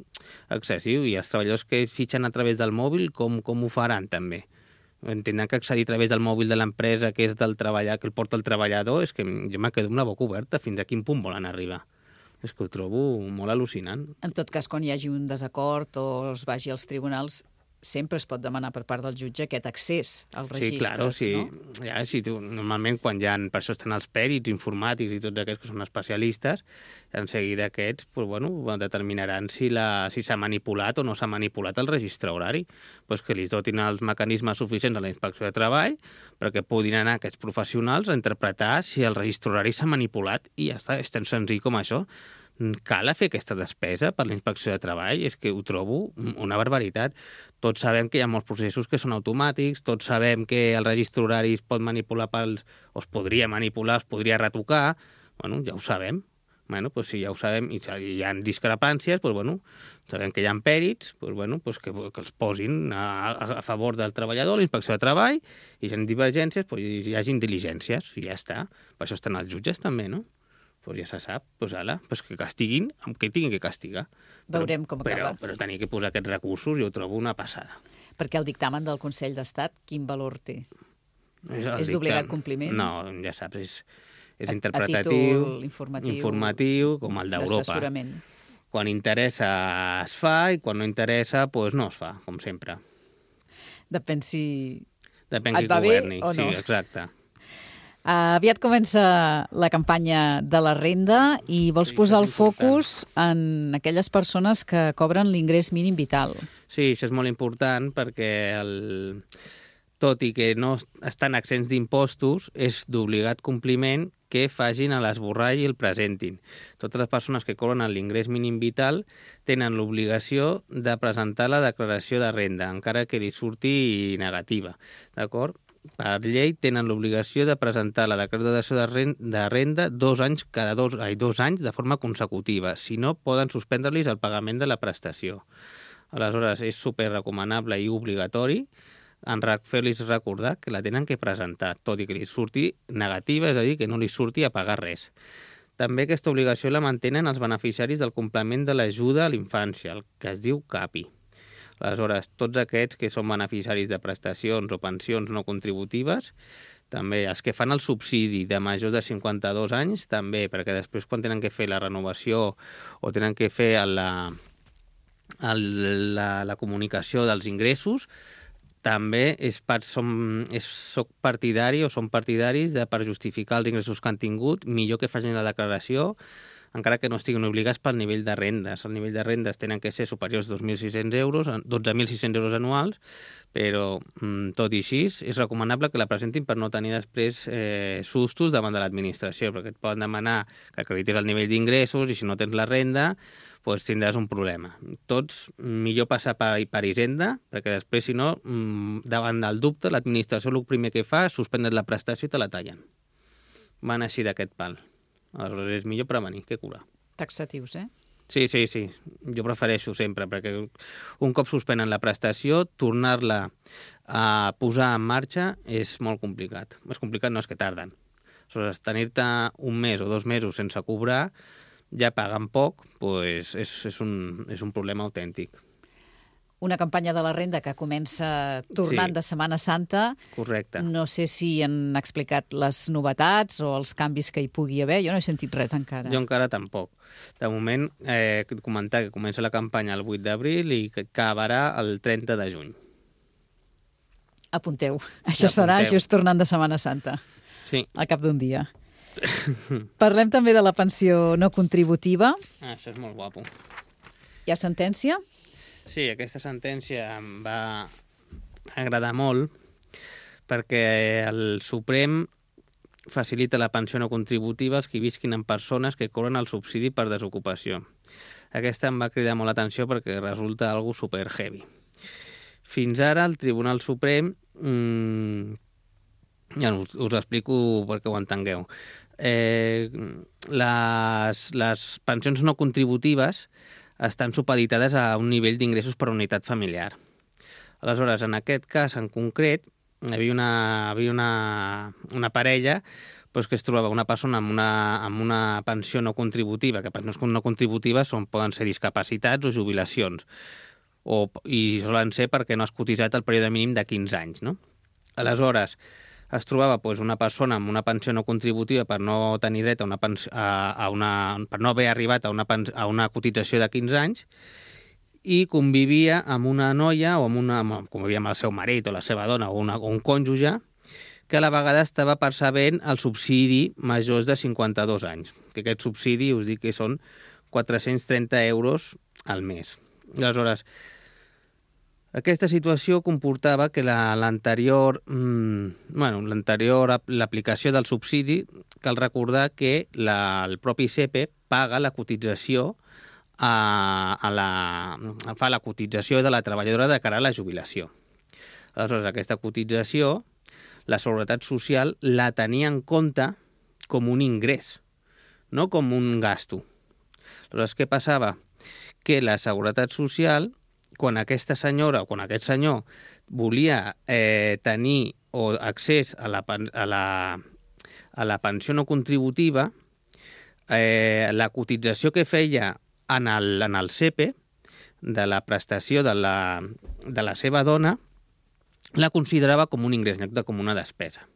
excessiu. I els treballadors que fitxen a través del mòbil, com, com ho faran també? Entenen que accedir a través del mòbil de l'empresa que és del treballar, que el porta el treballador, és que jo me quedo amb la boca oberta. Fins a quin punt volen arribar? És que ho trobo molt al·lucinant. En tot cas, quan hi hagi un desacord o es vagi als tribunals, sempre es pot demanar per part del jutge aquest accés als registres, sí, claro, sí. no? Ja, sí, tu, normalment quan hi ha, per això estan els pèrits informàtics i tots aquests que són especialistes, en seguida aquests pues, bueno, determinaran si la, si s'ha manipulat o no s'ha manipulat el registre horari, pues que li dotin els mecanismes suficients a la inspecció de treball perquè puguin anar aquests professionals a interpretar si el registre horari s'ha manipulat i ja està, és tan senzill com això. Cal fer aquesta despesa per la inspecció de treball? És que ho trobo una barbaritat. Tots sabem que hi ha molts processos que són automàtics, tots sabem que el registre horari es pot manipular pels, o es podria manipular, es podria retocar, bueno, ja ho sabem. Bueno, pues si ja ho sabem i hi ha discrepàncies, pues bueno, sabem que hi ha pèrits, pues bueno, pues que, que els posin a, a favor del treballador, l'inspecció de treball, i si hi ha divergències, pues hi hagin diligències, i ja està. Per això estan els jutges també, no? Pues ja se sap, pues ala, pues que castiguin, que tinguin que castigar. Veurem com acaba. Però, però tenir que posar aquests recursos jo ho trobo una passada. Perquè el dictamen del Consell d'Estat, quin valor té? És, és d'obligat compliment? No, ja saps, és, és a, interpretatiu, a títol informatiu, informatiu com el d'Europa. D'assessorament. Quan interessa es fa i quan no interessa pues no es fa, com sempre. Depèn si Depèn et qui va governi. bé o no. Sí, exacte. Uh, aviat comença la campanya de la renda i vols Sí, posar això el és focus en aquelles persones que cobren l'ingrés mínim vital. Sí, això és molt important perquè el... tot i que no estan exempts d'impostos, és d'obligat compliment que facin a l'esborrall i el presentin. Totes les persones que cobren l'ingrés mínim vital tenen l'obligació de presentar la declaració de renda, encara que li surti negativa, d'acord? Per llei tenen l'obligació de presentar la declaració de renda, de renda dos anys cada dos, ai, dos anys de forma consecutiva. Si no, poden suspendre-los el pagament de la prestació. Aleshores, és super recomanable i obligatori en fer-los recordar que la tenen que presentar, tot i que li surti negativa, és a dir, que no li surti a pagar res. També aquesta obligació la mantenen els beneficiaris del complement de l'ajuda a l'infància, el que es diu CAPI. Aleshores, tots aquests que són beneficiaris de prestacions o pensions no contributives, també els que fan el subsidi de majors de cinquanta-dos anys, també, perquè després quan tenen que fer la renovació o tenen que fer la, el, la, la comunicació dels ingressos, també és part, som, és, soc partidari o som partidaris de, per justificar els ingressos que han tingut, millor que facin la declaració, encara que no estiguin obligats pel nivell de rendes. El nivell de rendes tenen que ser superiors a dos mil sis-cents euros, dotze mil sis-cents euros anuals, però tot i així és recomanable que la presentin per no tenir després eh, sustos davant de l'administració, perquè et poden demanar que acreditis el nivell d'ingressos i si no tens la renda doncs tindràs un problema. Tots, millor passar per, per Hisenda, perquè després, si no, davant del dubte, l'administració el primer que fa és suspendre la prestació i te la tallen. Van així d'aquest pal. Aleshores, és millor prevenir que curar. Taxatius, eh? Sí, sí, sí. Jo prefereixo sempre, perquè un cop suspenen la prestació, tornar-la a posar en marxa és molt complicat. És complicat no és que tarden. Aleshores, tenir-te un mes o dos mesos sense cobrar, ja paguen poc, doncs és, és, un, és un problema autèntic. Una campanya de la renda que comença tornant sí. de Setmana Santa. Correcte. No sé si han explicat les novetats o els canvis que hi pugui haver. Jo no he sentit res encara. Jo encara tampoc. De moment, eh, comentar que comença la campanya el vuit d'abril i que acabarà el trenta de juny. Apunteu. Això Apunteu. Serà just tornant de Setmana Santa. Sí. al cap d'un dia. Parlem també de la pensió no contributiva. Ah, això és molt guapo. Hi ha sentència? Sí, aquesta sentència em va agradar molt perquè el Suprem facilita la pensió no contributiva als qui visquin en persones que cobren el subsidi per desocupació. Aquesta em va cridar molt l'atenció perquè resulta algo super heavy. Fins ara el Tribunal Suprem, mmm, ja us, us explico perquè ho entengueu, eh, les, les pensions no contributives estan supeditades a un nivell d'ingressos per unitat familiar. Aleshores, en aquest cas en concret, hi havia una, havia una, una parella doncs, que es trobava una persona amb una, amb una pensió no contributiva, que pensions no contributives són, poden ser discapacitats o jubilacions, o, i solen ser perquè no has cotitzat el període mínim de quinze anys. No? Aleshores, es trobava doncs, una persona amb una pensió no contributiva per no tenir dret a una, pensió, a, a una per no haver arribat a una, a una cotització de quinze anys, i convivia amb una noia, o amb una, convivia amb el seu marit o la seva dona o, una, o un cònjuge, que a la vegada estava percebent el subsidi majors de cinquanta-dos anys. Que aquest subsidi, us dic que són quatre-cents trenta euros al mes. Aleshores, aquesta situació comportava que l'anterior, la, mmm, bueno, l'anterior l'aplicació del subsidi, cal recordar que la, el propi S E P E paga la cotització a, a la, fa la cotització de la treballadora de cara a la jubilació. Aleshores, aquesta cotització, la Seguretat Social la tenia en compte com un ingrés, no com un gasto. Aleshores, què passava? Que la Seguretat Social, quan aquesta senyora o quan aquest senyor volia eh, tenir o accés a la, a la, a la pensió no contributiva, eh, la cotització que feia en el, en el S E P E de la prestació de la, de la seva dona la considerava com un ingrés, en lloc de com una despesa.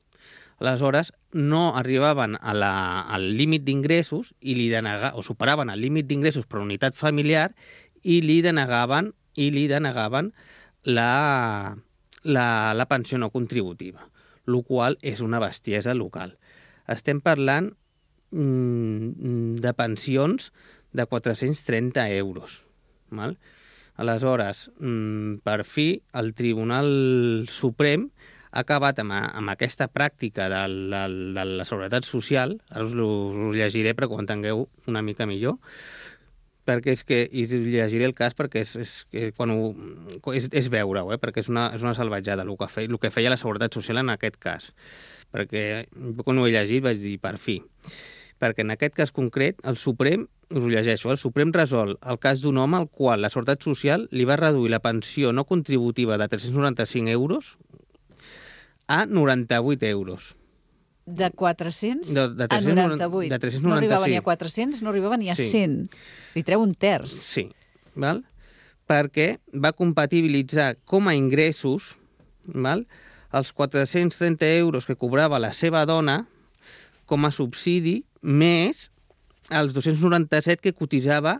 Aleshores, no arribaven a la, al límit d'ingressos i li denega, o superaven el límit d'ingressos per unitat familiar i li denegaven i li denegaven la, la, la pensió no contributiva, el qual és una bestiesa local. Estem parlant mm, de pensions de quatre-cents trenta euros. Val? Aleshores, mm, per fi, el Tribunal Suprem ha acabat amb, amb aquesta pràctica de la, de la Seguretat Social, ara us ho, us ho llegiré perquè ho entengueu una mica millor, perquè és que, i llegiré el cas perquè és, és, és, quan ho, és, és veure-ho, eh? Perquè és una, és una salvatjada el que, feia, el que feia la Seguretat Social en aquest cas. Perquè quan ho he llegit vaig dir, per fi. Perquè en aquest cas concret, el Suprem, us ho llegeixo, el Suprem resol el cas d'un home al qual la Seguretat Social li va reduir la pensió no contributiva de tres-cents noranta-cinc euros a noranta-vuit euros. De quatre-cents de, de a noranta-vuit. De tres-cents noranta-cinc. No arribava ni a quatre-cents, no arribava ni a sí. cent. Li treu un terç. Sí, val? Perquè va compatibilitzar com a ingressos, val? Els quatre-cents trenta euros que cobrava la seva dona com a subsidi, més els dos-cents noranta-set que cotitzava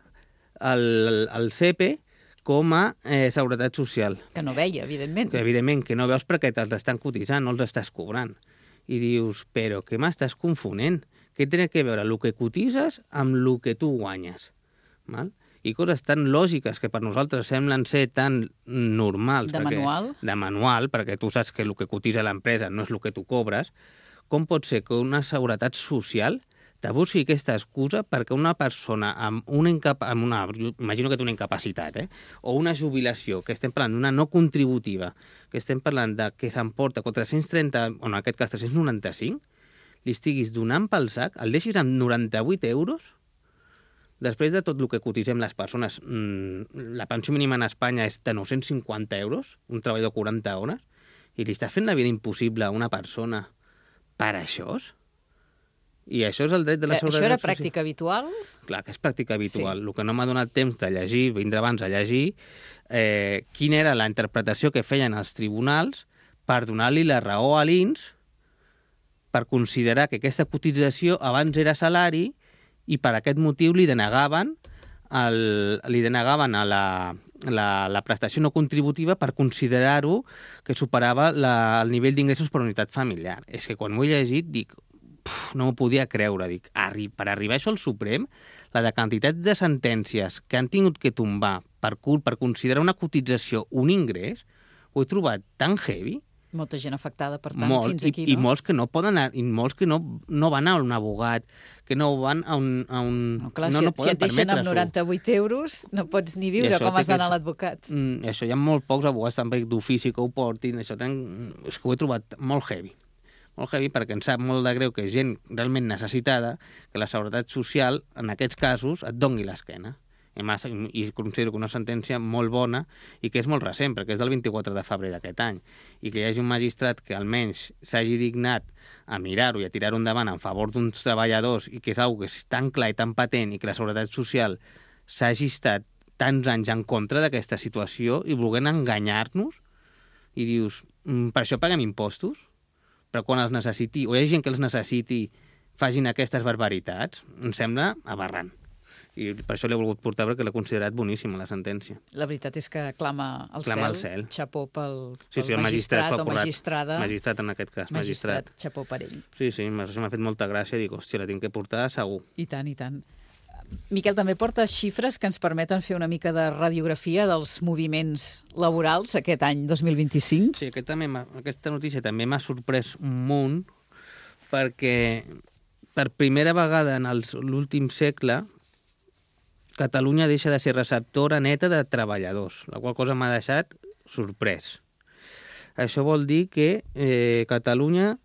el, el S E P E com a eh, Seguretat Social. Que no veia, evidentment. Que evidentment que no veus perquè te'ls estan cotitzant, no els estàs cobrant. I dius, però què m'estàs confonent? Què té a veure el que cotitzes amb el que tu guanyes? Val? I coses tan lògiques que per nosaltres semblen ser tan normals. De perquè, manual. De manual, perquè tu saps que el que cotitza l'empresa no és el que tu cobres. Com pot ser que una seguretat social te busqui aquesta excusa perquè una persona amb una, incapa amb una imagino que té una incapacitat, eh? O una jubilació, que estem parlant d'una no contributiva, que estem parlant de que s'emporta quatre-cents trenta, o en aquest cas tres-cents noranta-cinc, li estiguis donant pel sac, el deixis amb noranta-vuit euros, després de tot el que cotitzem les persones, mmm, la pensió mínima en Espanya és de nou-cents cinquanta euros, un treballador quaranta hores, i li estàs fent la vida impossible a una persona per això? I això és el dret de la seguretat social. Això era social. pràctica habitual? Clar que és pràctica habitual. Sí. El que no m'ha donat temps de llegir, vindre abans a llegir, eh, quina era la interpretació que feien els tribunals per donar-li la raó a l'I N S per considerar que aquesta cotització abans era salari i per aquest motiu li denegaven, el, li denegaven a la, la, la prestació no contributiva per considerar-ho que superava la, el nivell d'ingressos per unitat familiar. És que quan m'ho he llegit dic, puf, no m'ho podia creure. Dic, arri, per arribar a això al Suprem, la de quantitat de sentències que han tingut que tombar per, per considerar una cotització un ingrés, ho he trobat tan heavy. Molta gent afectada, per tant, Molt, fins aquí, i, no? I molts que no poden anar, i molts que no, no van a un abogat, que no van a un... A un No, clar, no, si, no si et deixen amb permetre-s'ho. noranta-vuit euros, no pots ni I viure, això com té has d'anar que- a l'advocat. Mm, això hi ha molt pocs abogats també d'ofici que ho portin, això ten... és que ho he trobat molt heavy. Molt heavy perquè em sap molt de greu que gent realment necessitada, que la Seguretat Social, en aquests casos, et doni l'esquena. I, massa, I considero que una sentència molt bona i que és molt recent, perquè és del vint-i-quatre de febrer d'aquest any, i que hi hagi un magistrat que almenys s'hagi dignat a mirar-ho i a tirar-ho endavant en favor d'uns treballadors i que és una que és tan clar i tan patent i que la Seguretat Social s'hagi estat tants anys en contra d'aquesta situació i volent enganyar-nos i dius, mm, per això paguem impostos? Però quan els necessiti, o hi ha gent que els necessiti, facin aquestes barbaritats, em sembla aberrant. I per això l'he volgut portar, perquè l'he considerat boníssima, la sentència. La veritat és que clama al Clama cel. al cel. Xapó pel, Sí, pel sí, el magistrat s'ho magistrat ha o currat. magistrada. Magistrat, en aquest cas, magistrat. Magistrat, xapó per ell. Sí, sí, m'ha m'ha fet molta gràcia. Dic, hòstia, la tinc que portar segur. I tant, i tant. Miquel, també porta xifres que ens permeten fer una mica de radiografia dels moviments laborals aquest any dos mil vint-i-cinc. Sí, aquest també m'ha- aquesta notícia també m'ha sorprès un munt, perquè per primera vegada en els- l'últim segle Catalunya deixa de ser receptora neta de treballadors, la qual cosa m'ha deixat sorprès. Això vol dir que eh, Catalunya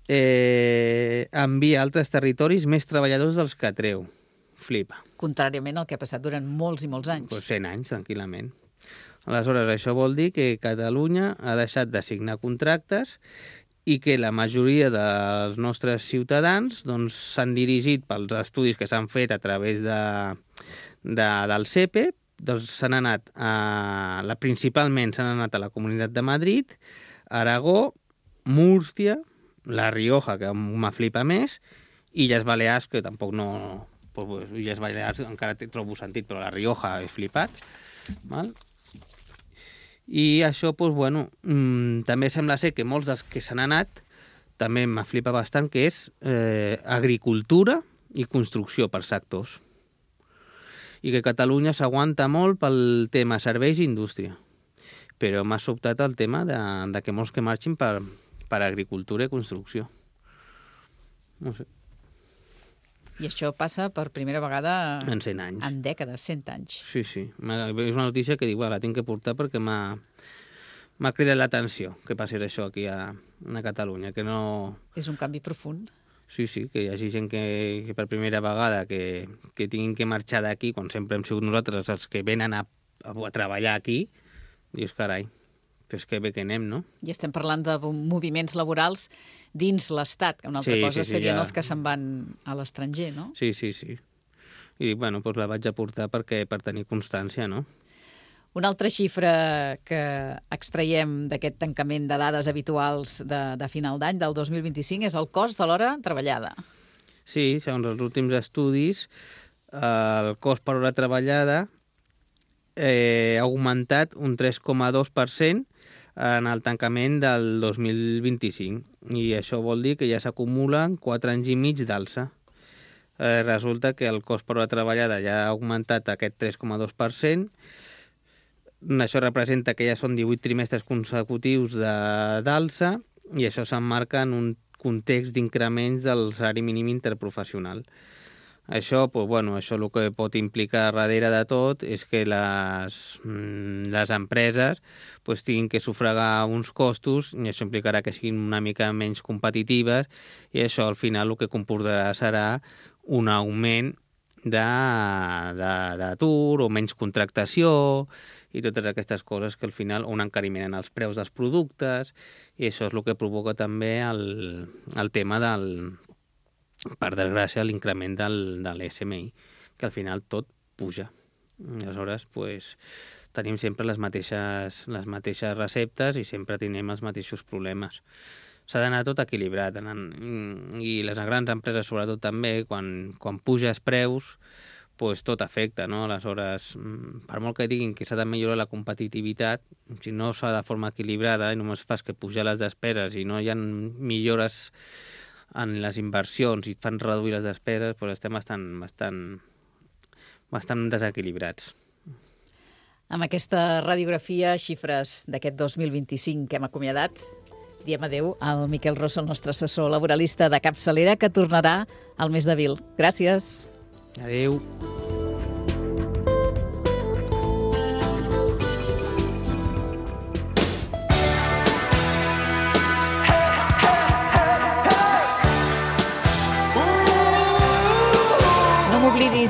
eh, envia a altres territoris més treballadors dels que treu. Flipa. Contràriament al que ha passat durant molts i molts anys. Pues cent anys, tranquil·lament. Aleshores, això vol dir que Catalunya ha deixat de signar contractes i que la majoria dels nostres ciutadans doncs, s'han dirigit pels estudis que s'han fet a través de, de, del C E P E, doncs s'han anat a, la, principalment s'han anat a la Comunitat de Madrid, Aragó, Múrcia, La Rioja, que me flipa més, i Illes Balears, que tampoc no... Pues, Illes Balears encara té- trobo sentit, però La Rioja he flipat. Val? I això, doncs, bueno, mmm, també sembla ser que molts dels que s'han anat també m'ha flipat bastant, que és eh, agricultura i construcció per sectors. I que Catalunya s'aguanta molt pel tema serveis i indústria. Però m'ha sobtat el tema de, de que molts que marxin per, per agricultura i construcció. No sé, I això passa per primera vegada en cent anys. en dècades, cent anys. Sí, sí. M'ha- És una notícia que dic, bueno, la tinc que portar perquè m'ha m'ha cridat l'atenció que passi això aquí a, a Catalunya, que no... És un canvi profund. Sí, sí, que hi hagi gent que, que per primera vegada que, que tinguin que marxar d'aquí, quan sempre hem sigut nosaltres els que venen a, a, a treballar aquí, dius, carai, és que bé que anem, no? I estem parlant de moviments laborals dins l'Estat, que una altra Sí, cosa sí, sí, serien ja. els que se'n van a l'estranger, no? Sí, sí, sí. I, bueno, doncs la vaig a portar perquè, per tenir constància, no? Una altra xifra que extraiem d'aquest tancament de dades habituals de, de final d'any, del dos mil vint-i-cinc, és el cost de l'hora treballada. Sí, segons els últims estudis, el cost per hora treballada eh, ha augmentat un tres coma dos per cent en el tancament del dos mil vint-i-cinc. I això vol dir que ja s'acumulen quatre anys i mig d'alça. Eh, resulta que el cost per hora treballada ja ha augmentat aquest tres coma dos per cent. Això representa que ja són divuit trimestres consecutius de- d'alça i això s'emmarca en un context d'increments del salari mínim interprofessional. Això, pues, bueno, això el que pot implicar darrere de tot és que les, mm, les empreses pues, tinguin que sufragar uns costos i això implicarà que siguin una mica menys competitives i això al final el que comportarà serà un augment de- de- d'atur o menys contractació i totes aquestes coses que al final un encariment en els preus dels productes i això és el que provoca també el, el tema del, per desgràcia, l'increment del, de l'S M I, que al final tot puja. Aleshores, pues, tenim sempre les mateixes, les mateixes receptes i sempre tenim els mateixos problemes. S'ha d'anar tot equilibrat anant, i les grans empreses sobretot també, quan, quan puja els preus, pues tot afecta, no? Aleshores, per molt que diguin que s'ha de millorar la competitivitat, si no s'ha de forma equilibrada i només fas que pujar les despeses i no hi ha millores en les inversions i et fan reduir les despeses, doncs estem bastant, bastant, bastant desequilibrats. Amb aquesta radiografia, xifres d'aquest dos mil vint-i-cinc que hem acomiadat, diem adeu al Miquel Rosso, el nostre assessor laboralista de capçalera, que tornarà al mes d'abril. Gràcies. Adeu.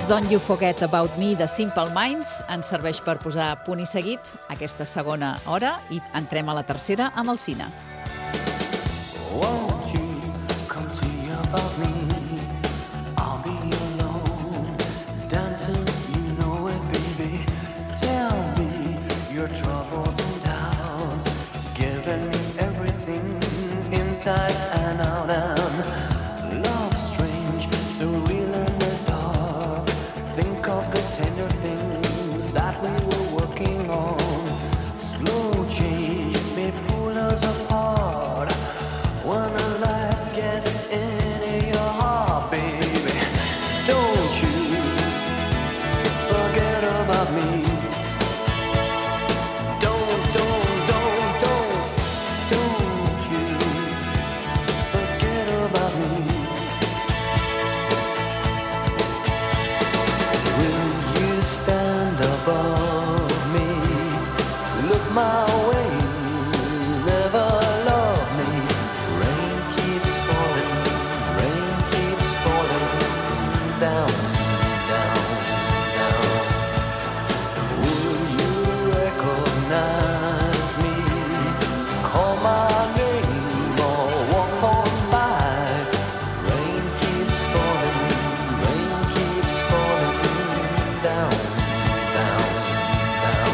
Don't You Forget About Me de Simple Minds ens serveix per posar punt i seguit aquesta segona hora i entrem a la tercera amb el cine. Won't you come see about me? I'll be alone, dancing, you know it, baby. Tell me your troubles and doubts, giving me everything inside and out. And love's strange, so real in the dark. Think of the tender things that we were working on. Slow change may pull us apart. When the light gets into your heart, baby, don't you forget about me. Don't, don't, don't, don't, don't you forget about me. Will you stand above me? Look my way, never love me. Rain keeps falling, rain keeps falling down, down, down. Will you recognize me? Call my name or walk on by. Rain keeps falling, rain keeps falling down, down, down,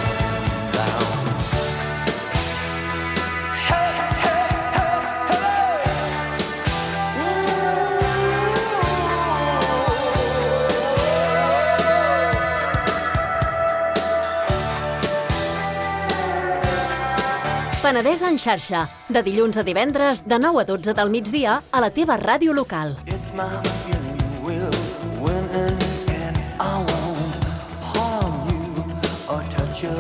down. Hey, hey, hey, hey. Penedès en xarxa, de dilluns a divendres, de nou a dotze del migdia, a la teva ràdio local. It's my feeling will win in the end. I won't harm you or touch your